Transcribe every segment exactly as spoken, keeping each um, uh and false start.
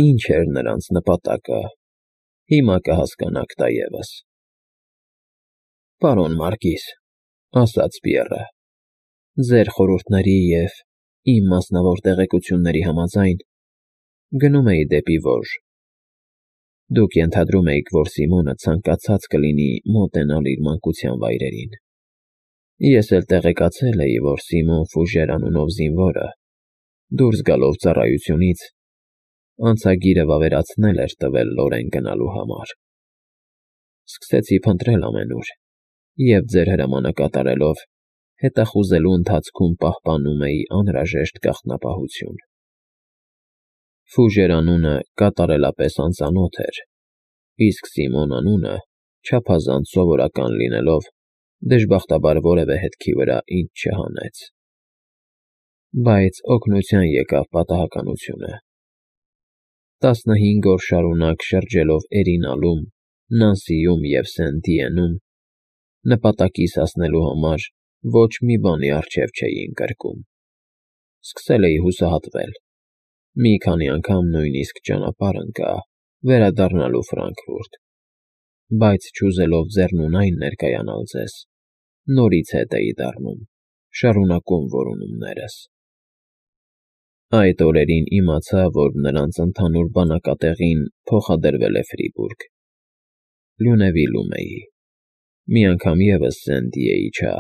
Ինչ էր նրանց նպատակը, հիմա կհասկանաք դա ևս։ ֊ Պարոն Մարկիս,֊ ասաց Պիեռը,֊ ձեր խորհուրդների և իմ մասնավոր տեղեկությունների համաձայն, գնում էի դեպի Վոժ. դուք ենթադրում էիք, որ Սիմոնը ցանկացած կլինի մոտենալ իր մանկության վայրերին. ես էլ տեղեկացել էի, որ Սիմոն Ֆուժեր անունով զինվորը, դուրս գալով ծառայությունից, անցագիրը վավերացնել էր տվել Լորեն գնալու համար։ Սկսեցի փնտրել ամենուր և ձեր հրամանը կատարելով, հետախուզելու ընթացքում պահպանում էի անհրաժեշտ գաղտնապահություն։ Ֆուժեր անունը կատարելապես անծանոթ էր, իսկ Սիմոն անունը չափազանց սովորական լինելով, դժբախտաբար որևէ հետքի վրա ինձ չհանեց։ Բայց օգնության եկավ պատահականությունը։ Տասնհինգ օր շարունակ շրջելով Էրինալում, Նանսիում և Սեն֊Դիենում, նպատակիս հասնելու համար ոչ մի բանի առջև չէի ընկրկում։ Սկսել էի հուսահատվել, մի քանի անգամ նույնիսկ ճանապարհ ընկա վերադառնալու Ֆրանկֆուրտ, բայց չուզելով ձեռնունայն ներկայանալ ձեզ, նորից հետ էի դառնում, շարունակում որոնումներս։ Այդ օրերին իմացա, որ նրանց ընդհանուր բանակատեղին փոխադրվել է Ֆրիբուրգ։ Լյունևիլում էի, մի անգամ ևս Սեն֊Դիեի չա,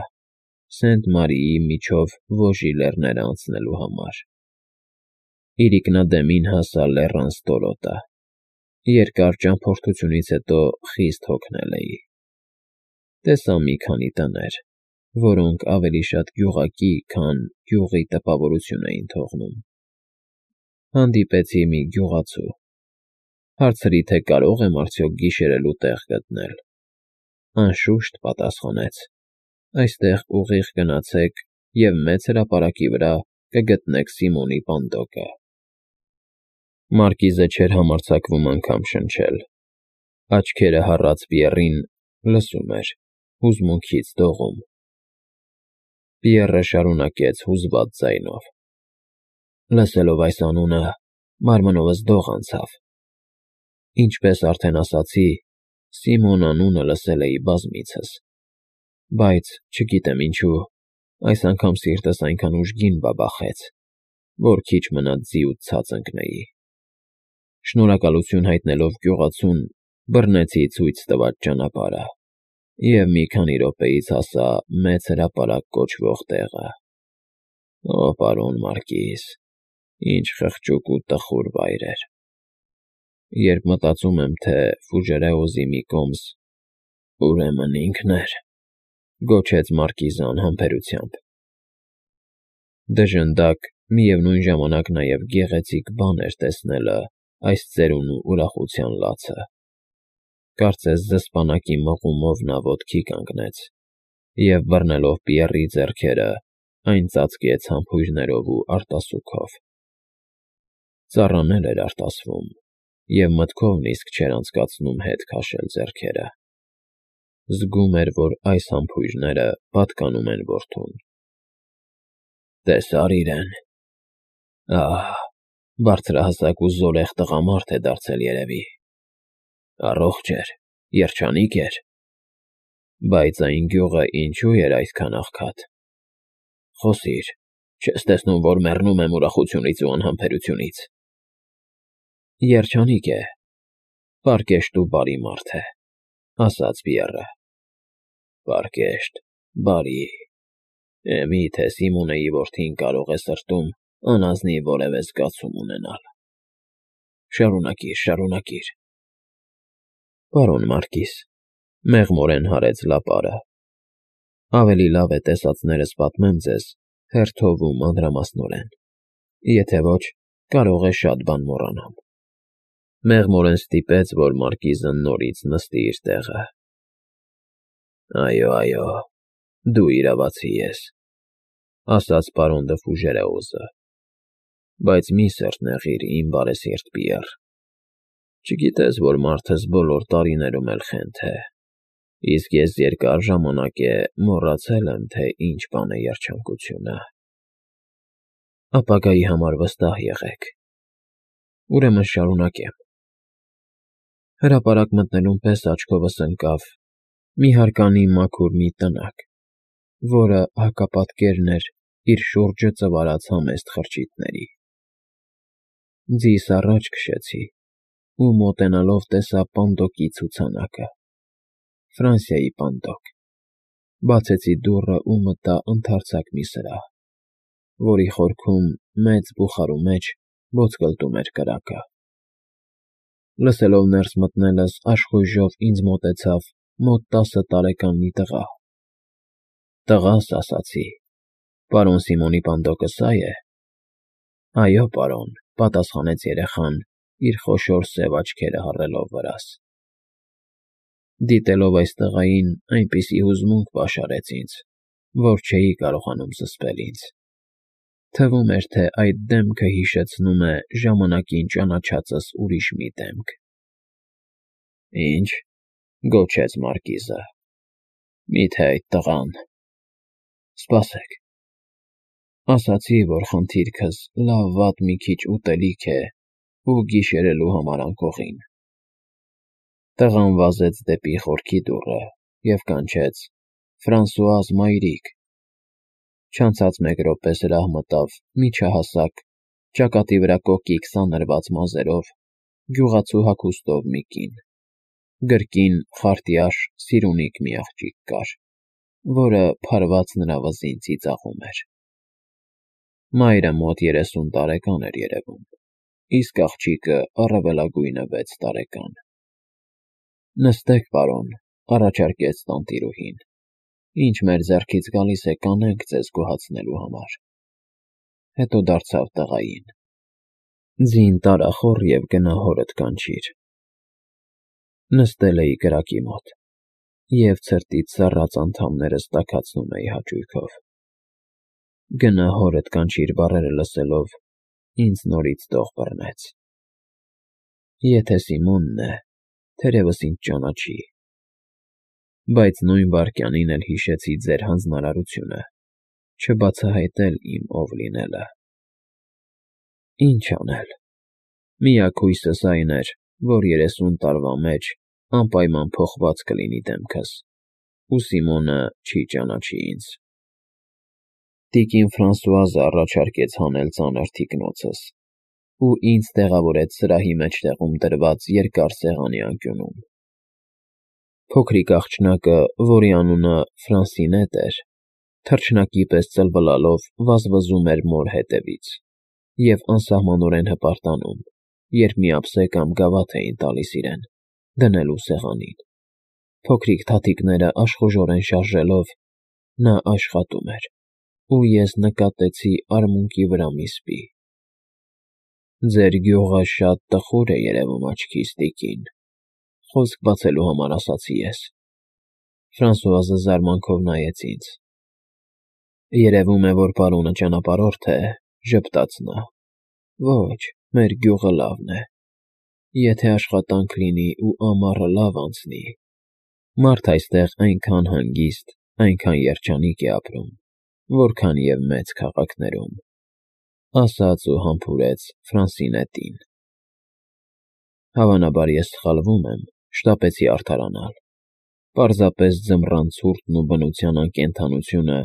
Սենտ֊Մարիի միջով Վոժի լեռները անցնելու համար։ Իրիկնադեմին հասա լեռան ստորոտը, երկար ճամփորդությունից հետո խիստ հոգնել էի։ Տեսա մի քանի տներ, որոնք ավելի շատ գյուղակի, քան գյուղի տպավորություն էին թողնում։ Հանդիպեցի մի գյուղացու, հարցրի, թե կարո՞ղ եմ արդյոք գիշերելու տեղ գտնել։ Անշուշտ, պատասխանեց, այստեղ ուղիղ գնացեք և մեծ հրապարակի վրա կգտնեք Սիմոնի պանդոկը։ Մարկիզը չէր համարձակվում անգամ շնչել, աչքերը հառած Պիեռին լսում էր, հուզմունքից դողում։ Պիեռը շարունակեց հուզված ձայնով. Լսելով այս անունը, մարմնովս դող անցավ։ Ինչպես արդեն ասացի, Սիմոն անունը լսել էի բազմիցս, բայց, չգիտեմ ինչու, այս անգամ սիրտս այնքան ուժգին բաբախեց, որ քիչ մնաց ձիուց ցած ընկնեի։ Շնորհակալություն հայտնելով գյուղացուն, բռնեցի ցույց տված ճանապարհը և մի քանի րոպեից հասա Մեծ հրապարակ կոչվող տեղը։ Օ, պարոն Մարկիս, ինչ խղճուկ ու տխուր վայր էր։ Երբ մտածում եմ, թե Ֆուժերեոզի մի կոմս ուրեմն ինքն էր, գոչեց Մարկիզը անհամբերությամբ։ Դժնդակ, միևնույն ժամանակ նաև գեղեցիկ բան էր տեսնելը այս ծերունու ուրախության լացը։ Կարծես զսպանակի մղումով նա ոտքի կանգնեց և, բռնելով Պիեռի ձեռքերը, այն ծածկեց համբույրներով ու արտասուքով։ Ծառան էլ էր արտասվում և մտքով նիսկ չէր անցկացնում հետ քաշել ձեռքերը։ Զգում էր, որ այս համբույրները պատկանում են որդուն։ Տեսա՞ր իրեն։ Ահ, բարձրահասակ ու զոլեղ տղամարդ է դարձել երևի։ Առողջ էր, երջանիկ էր։ Բայց այն գյուղը ինչու էր այդքան աղքատ։ Խոսիր, չես տեսնում, որ մեռնում եմ ուրախությունից ու անհամբերությունից։ Երջանիկ է, պարկեշտ ու բարի մարդ է, ասաց Պիեռը։ Պարկեշտ, բարի… Է, մի՞թե Սիմոնեի որդին կարող է սրտում անազնիվ որևէ զգացում ունենալ։ Շարունակիր, շարունակիր… Պարոն Մարկիս, մեղմորեն հարեց լապարը, ավելի լավ է տեսածներս պատմեմ ձեզ հերթով ու մանրամասնորեն, եթե ոչ, կարող է շատ բան մոռանամ։ Մեղմորեն ստիպեց, որ Մարկիզը նորից նստի իր տեղը։ Այո, այո, դու իրավացի ես, ասաց պարոն Դը Ֆուժերեոզը, բայց մի սրտ նեղիր, իմ բարեսիրտ Պիեռ։ Չգիտես, որ մարդս բոլոր տարիներում էլ խենթ է, իսկ ես երկար ժամանակ է մոռացել եմ, թե ինչ բան է երջանկությունը։ Ապագայի համար վստահ եղեք։ Ուրեմն շարունակեմ։ Հրապարակ մտնելուն պես աչքովս ընկավ մի հարկանի մաքուր մի տնակ, որը հակապատկերն էր իր շուրջը ծվարած համեստ խրճիթների։ Ձիս առաջ քշեցի ու մոտենալով տեսա Պանդոկի ցուցանակը, Ֆրանսիայի Պանդոկ, բացեցի դուռը ու մտա ընդարձակ մի սրահ, որի խորքում մեծ բուխարու մեջ ոսկլտում էր կրակը։ Լսելով ներս մտնելս աշխույժով ինձ մոտեցավ մոտ տասը տարեկան մի տղա։ Տղա՛ս, ասացի, պարոն Սիմոնի Պանդոկը սա՞ է։ Այո, պարոն, պատասխանեց երեխան, իր խոշոր սև աչքերը հառելով վրաս։ Դիտելով այս տղային այնպիսի հուզմունք պաշարեց ինձ, որ չէի կարողանում զսպել ինձ։ Թվում էր, թե այդ դեմքը հիշեցնում է ժամանակին ճանաչածս ուրիշ մի դեմք։ Ի՞նչ,֊ գոչեց մարկիզը,֊ մի՞թե այդ տղան… Սպասեք… Ասացի, որ խնդիրքս լավ֊վատ մի քիչ ուտելիք է ու գիշերելու համար անկողին։ Տղան վազեց դեպի խորքի դուռը և կանչեց. «Ֆրանսուազ, մայրիկ»։ Չանցած մեկ րոպե սրահ մտավ միջահասակ, ճակատի վրա կոկիկ սանրված մազերով, գյուղացու հագուստով մի կին։ Գրկին խարտյաշ սիրունիկ մի աղջիկ կար, որը փարված նրա վզին ծիծաղում էր։ Մայրը մոտ երեսուն տարեկան էր երևում, իսկ աղջիկը առավելագույնը վեց տարեկան։ «Նստեք, պարոն,֊ առաջարկեց տանտիրուհին,֊ ինչ մեր ձեռքից գալիս է, կանենք ձեզ գոհացնելու համար»։ Հետո դարձավ տղային. «Ձին տարա խոռ և գնա հորդ կանչիր»։ Նստել էի կրակի մոտ և ցրտից սառած անդամներս տաքացնում էի հաճույքով։ «Գնա հորդ կանչիր» բառերը լսելով ինձ նորից տող բռնեց։ Եթե Սիմոնն է, թերևս ինձ ճանաչի։ Բայց նույն վայրկյանին էլ հիշեցի ձեր հանձնարարությունը չբացահայտել իմ ով լինելը։ Ինչ անել։ Միակ հույսս այն էր, որ երեսուն տարվա մեջ անպայման փոխված կլինի դեմքս, ու Սիմոնը չի ճանաչի ինձ։ Տիկին Ֆրանսուազը առաջարկեց հանել ծանր թիկնոցս ու ինձ տեղավորեց սրահի մեջտեղում դրված երկար սեղանի անկյունում։ Փոքրիկ աղջնակը, որի անունը Ֆրանսինետ էր, թռչնակի պես ծլվլալով վազվզում էր մոր հետևից և անսահմանորեն հպարտանում, երբ մի ափսե կամ գավաթ էին տալիս իրեն, դնելու սեղանին։ Փոքրիկ թաթիկները աշխուժորեն շարժելով՝ նա աշխատում էր, ու ես նկատեցի արմունկի վրա մի սպի։ «Ձեր գյուղը շատ տխուր է երևում աչքիս, տիկին,֊ խոսք բացելու համար ասացի ես։ Ֆրանսուազը զարմանքով նայեց ինձ։ «Երևում է, որ պարոնը ճանապարհորդ է,֊ ժպտաց նա։ Ոչ, մեր գյուղը լավն է։ Եթե աշխատանք լինի ու ամառը լավ անցնի… Մարդ այստեղ այնքան հանգիստ, այնքան երջանիկ է ապրում, որքան և մեծ քաղաքներում,֊ ասաց ու համբուրեց Ֆրանսինետին։ Հավանաբար ես սխալվում եմ, շտապեցի արդարանալ։ Պարզապես ձմռան ցուրտն ու բնության անկենդանությունը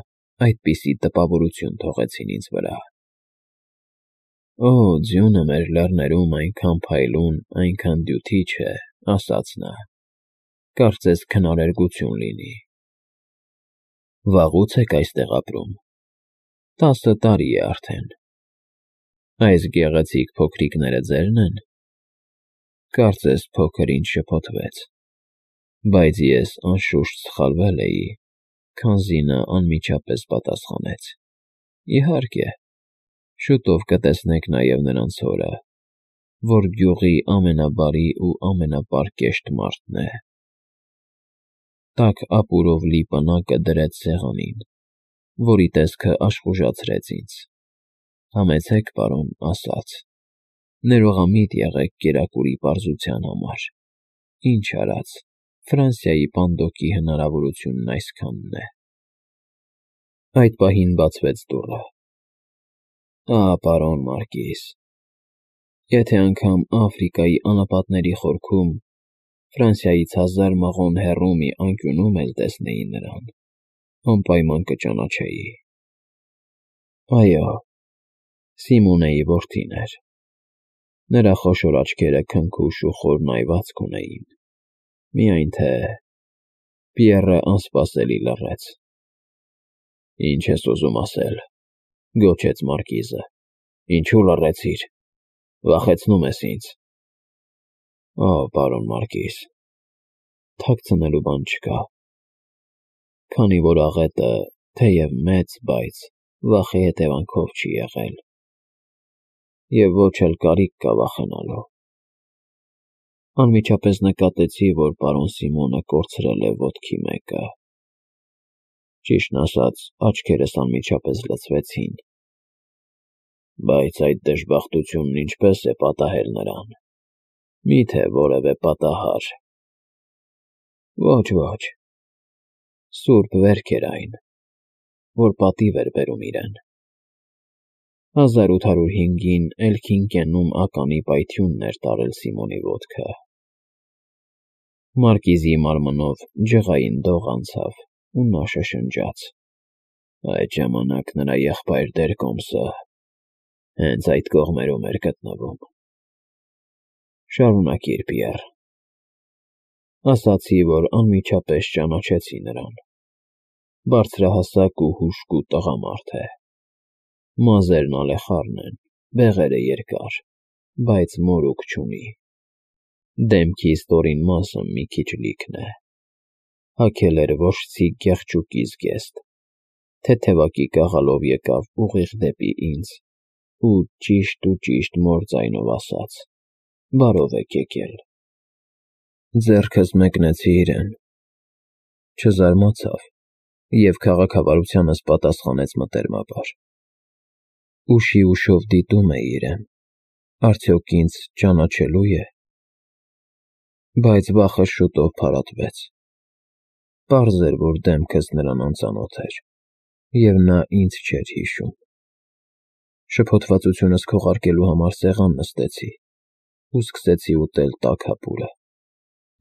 այդպիսի տպավորություն թողեցին ինձ վրա։ «Օ, ձյունը մեր լեռներում այնքան փայլուն, այնքան դյութիչ է,֊ ասաց նա։ Կարծես քնարերգություն լինի»։ «Վաղո՞ւց եք այստեղ ապրում»։ «Տասը տարի է արդեն»։ «Այս գեղեցիկ փոքրիկները ձե՞րն են»։ Կարծես փոքր-ինչ շփոթվեց, բայց ես անշուշտ սխալվել էի, քանզի նա անմիջապես պատասխանեց. «Իհարկե, շուտով կտեսնեք նաև նրանց հորը, որ գյուղի ամենաբարի ու ամենապարկեշտ մարդն է»։ Տաք ապուրով լի պնակը դրեց սեղանին, որի տեսքը աշխուժացրեց ինձ։ «Համեցեք, պարոն,֊ ասաց,֊ ներողամիտ եղեք կերակուրի պարզության համար։ Ինչ արած, Ֆրանսիայի Պանդոկի հնարավորությունն այսքանն է»։ Այդ պահին բացվեց դուռը։ «Ա, պարոն մարկիզ»։ Եթե անգամ Աֆրիկայի անապատների խորքում, Ֆրանսիայից հազար մղոն հեռու մի անկյունում էլ տեսնեի նրան, անպայման կճանաչեի։ Այո, Սիմոնեի որդին էր։ Նրա խոշոր աչքերը քնքուշ ու խոր նայվածք ունեին, միայն թե… Պիեռը անսպասելի լռեց։ Ինչ ես ուզում ասել,֊ գոչեց մարկիզը։ Ինչու լռեցիր, վախեցնում ես ինձ։ Օ, պարոն մարկիզ, թաքցնելու բան չկա, քանի որ աղետը, թեև մեծ, բայց վախի հետևանքով չի եղել, և ոչ էլ կարիք կա վախենալու։ Անմիջապես նկատեցի, որ պարոն Սիմոնը կորցրել է ոտքի մեկը։ Ճիշտն ասած, աչքերս անմիջապես լցվեցին։ Բայց այդ դժբախտությունն ինչպե՞ս է պատահել նրան, մի՞թե որևէ պատահար։ Ոչ, ոչ, սուրբ վերք էր այն, որ պատիվ էր բերում իրեն։ Հազար ութ հարյուր հինգին Էլքին կենում ականի պայթյունն էր տարել Սիմոնի ոտքը։ Մարկիզի մարմնով ջղային դող անցավ, ու նա շշնջաց. Այդ ժամանակ նրա եղբայր Դերկոմսը հենց այդ կողմերում էր գտնվում։ Շարունակիր, Պիեռ։ Ասացի, որ անմիջապես ճանաչեցի նրան։ Բարձրահասակ ու հուժկու տղամարդ է։ Մազերն ալեխառն են, բեղերը երկար, բայց մորուք չունի։ Դեմքի ստորին մասը մի քիչ լիքն է։ Հագել էր ոչցի գեղչուկի զգեստ, թեթևակի կաղալով եկավ ուղիղ դեպի ինձ ու, ճիշտ ու ճիշտ մոր ձայնով ասաց. «Բարով եք եկել»։ Ձեռքս մեկնեցի իրեն։ Չզարմացավ և քաղաքավարությանս պատասխանեց մտերմաբար։ Ուշի ուշով դիտում էի իրեն, արդյոք ինձ ճանաչելո՞ւ է։ Բայց վախս շուտով փարատվեց։ Պարզ էր, որ դեմքս նրան անծանոթ էր, և նա ինձ չէր հիշում։ Շփոթվածությունս քողարկելու համար սեղան նստեցի ու սկսեցի ուտել տաք հապուրը։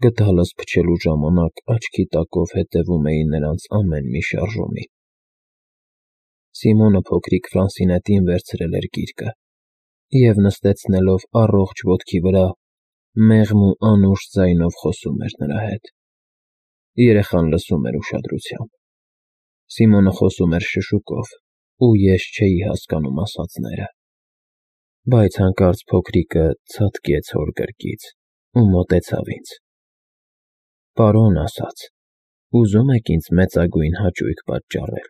Գդալս փչելու ժամանակ աչքի տակով հետևում էի նրանց ամեն մի շարժումին։ Սիմոնը փոքրիկ Ֆրանսինետին վերցրել էր գիրկը և, նստեցնելով առողջ ոտքի վրա, մեղմ ու անուշ ձայնով խոսում էր նրա հետ։ Երեխան լսում էր ուշադրությամբ։ Սիմոնը խոսում էր շշուկով, ու ես չէի հասկանում ասածները։ Բայց հանկարծ փոքրիկը ցատկեց հոր գրկից ու մոտեցավ ինձ։ Պարոն, ասաց, ուզո՞ւմ եք ինձ մեծագույն հաճույք պատճառել։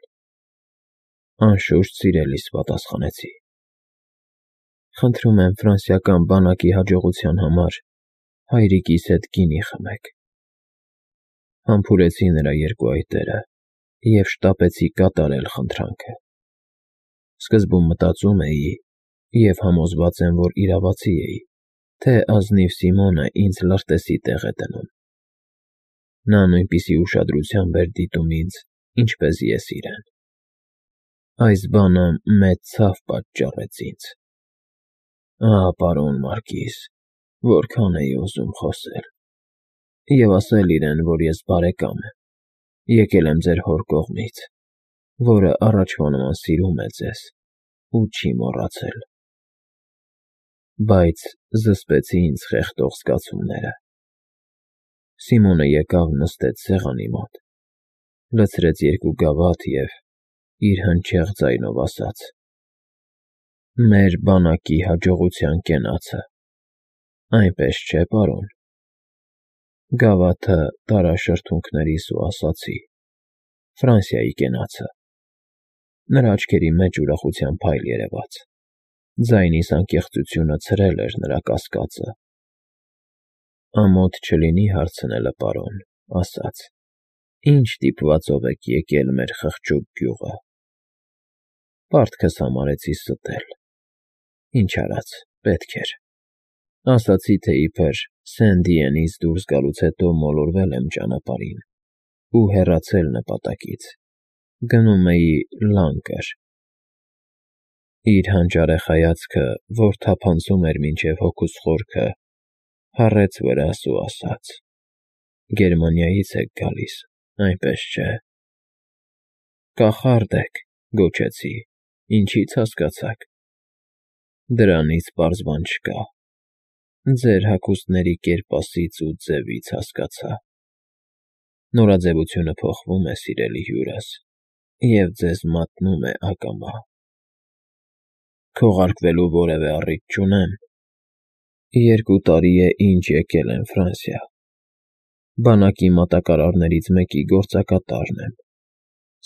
Անշուշտ, սիրելիս, պատասխանեցի։ Խնդրում եմ ֆրանսիական բանակի հաջողության համար հայրիկիս հետ գինի խմեք։ Համբուրեցի նրա երկու այտերը և շտապեցի կատարել խնդրանքը։ Սկզբում մտածում էի, և համոզված եմ, որ իրավացի էի, թե ազնիվ Սիմոնը ինձ լրտեսի տեղ է դնում։ Նա նույնպիսի ուշադրությամբ էր դիտում ինձ, ինչպես ես իրեն։ Այս բանը մեծ ցավ պատճառեց ինձ։ Ահ, պարոն մարկիզ, որքան էի ուզում խոսել և ասել իրեն, որ ես բարեկամ եմ, եկել եմ ձեր հոր կողմից, որը առաջվա նման սիրում է ձեզ ու չի մոռացել։ Բայց զսպեցի ինձ խեղդող զգացումները։ Սիմոնը եկավ նստեց սեղանի մոտ, լցրեց երկու գավաթ և իր հնչեղ ձայնով ասաց. «Մեր բանակի հաջողության կենացը, այնպես չէ՞, պարոն»։ Գավաթը տարա շրթունքներիս ու ասացի. «Ֆրանսիայի կենացը»։ Նրա աչքերի մեջ ուրախության փայլ երևաց։ Ձայնիս անկեղծությունը ցրել էր նրա կասկածը։ Ամոթ չլինի հարցնելը, պարոն, ասաց. «Ինչ ստիպվածով եք եկել մեր խղճուկ գյուղը»։ Պարտքս համարեցի ստել։ Ինչ արած, պետք էր։ Ասացի, թե իբր Սեն֊Դիենից դուրս գալուց հետո մոլորվել եմ ճանապարհին ու հեռացել նպատակից, գնում էի Լանկր։ Իր հանճարեղ հայացքը, որ թափանցում էր մինչև հոգուս խորքը, հառեց վրաս ու ասաց. «Գերմանիայից եք գալիս, այնպես չէ»։ «Կախարդ եք», գոչեցի, ինչի՞ց հասկացաք։ «Դրանից պարզ բան չկա, ձեր հագուստների կերպասից ու ձևից հասկացա։ Նորաձևությունը փոխվում է, սիրելի հյուրս, և ձեզ մատնում է ակամա։ Քողարկվելու որևէ առիթ չունեմ։ Երկու տարի է, ինչ եկել եմ Ֆրանսիա, բանակի մատակարարներից մեկի գործակատարն եմ,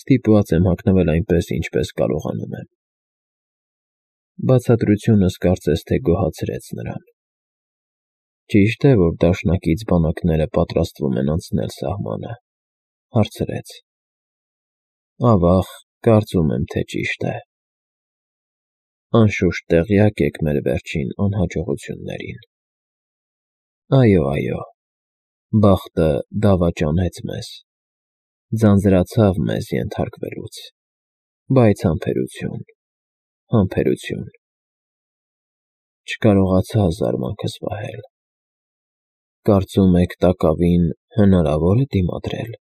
ստիպված եմ հագնվել այնպես, ինչպես կարողանում եմ»։ Բացատրությունս կարծես թե գոհացրեց նրան։ «Ճիշտ է, որ դաշնակից բանակները պատրաստվում են անցնել սահմանը», հարցրեց։ «Ավա՜ղ, կարծում եմ, թե ճիշտ է։ Անշուշտ տեղյակ եք մեր վերջին անհաջողություններին»։ «Այո, այո, բախտը դավաճանեց մեզ, ձանձրացավ մեզ ենթարկվելուց, բայց համբերություն, համբերություն… Չկարողացա զարմանքս վահել։ Կարծում եք տակավին հնարավո՞ր է դիմադրել։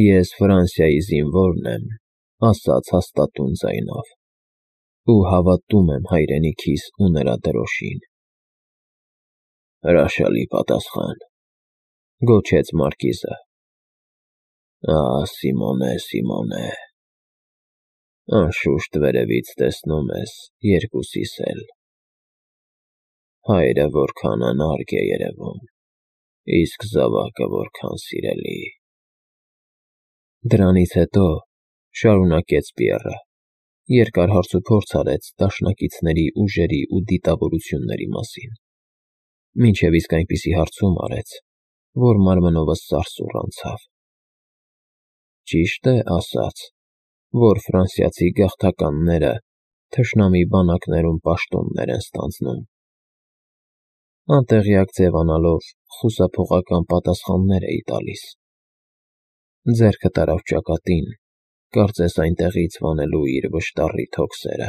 Ես Ֆրանսիայի զինվորն եմ, ասաց հաստատուն ձայնով, ու հավատում եմ հայրենիքիս ու նրա դրոշին»։ «Հրաշալի պատասխան», գոչեց մարկիզը։ «Ահ, Սիմոնե, Սիմոնե… Անշուշտ վերևից տեսնում ես, երկուսիս էլ… Հայրը որքան անարգ է երևում, իսկ զավակը որքան սիրելի»։ «Դրանից հետո,» շարունակեց Պիեռը, երկար հարցուփորձ արեց դաշնակիցների ուժերի ու դիտավորությունների մասին, մինչև իսկ այնպիսի հարցում արեց, որ մարմնովս սարսուռ անցավ։ «Ճիշտ է ասած, որ ֆրանսիացի գաղթականները թշնամի բանակներում պաշտոններ են ստանձնում»։ Անտեղյակ ձևանալով խուսափողական պատասխաններ էի տալիս։ Ձեռքը տարավ ճակատին, կարծես այնտեղից վանելու իր վշտառիթ հոգսերը։